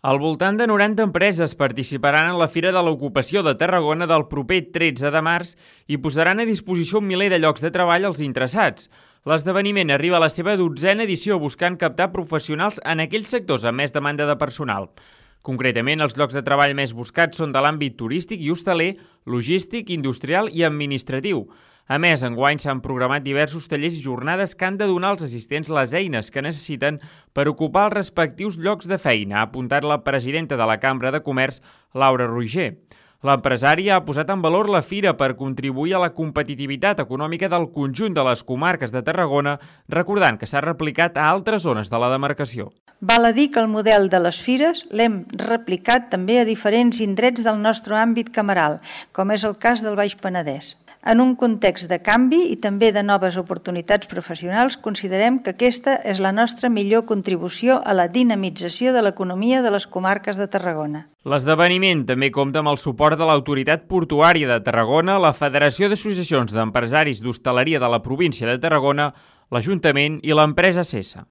Al voltant de 90 empreses participaran en la Fira de l'Ocupació de Tarragona del proper 13 de març i posaran a disposició un miler de llocs de treball als interessats. L'esdeveniment arriba a la seva 12a edició buscant captar professionals en aquells sectors amb més demanda de personal. Concretament, els llocs de treball més buscats són de l'àmbit turístic i hostaler, logístic, industrial i administratiu. A més, enguany s'han programat diversos tallers i jornades que han de donar als assistents les eines que necessiten per ocupar els respectius llocs de feina, ha apuntat la presidenta de la Cambra de Comerç, Laura Roger. L'empresària ha posat en valor la fira per contribuir a la competitivitat econòmica del conjunt de les comarques de Tarragona, recordant que s'ha replicat a altres zones de la demarcació. Val a dir que el model de les fires l'hem replicat també a diferents indrets del nostre àmbit cameral, com és el cas del Baix Penedès. En un context de canvi i també de noves oportunitats professionals, considerem que aquesta és la nostra millor contribució a la dinamització de l'economia de les comarques de Tarragona. L'esdeveniment també compta amb el suport de l'Autoritat Portuària de Tarragona, la Federació d'Associacions d'Empresaris d'Hostaleria de la província de Tarragona, l'Ajuntament i l'empresa CESA.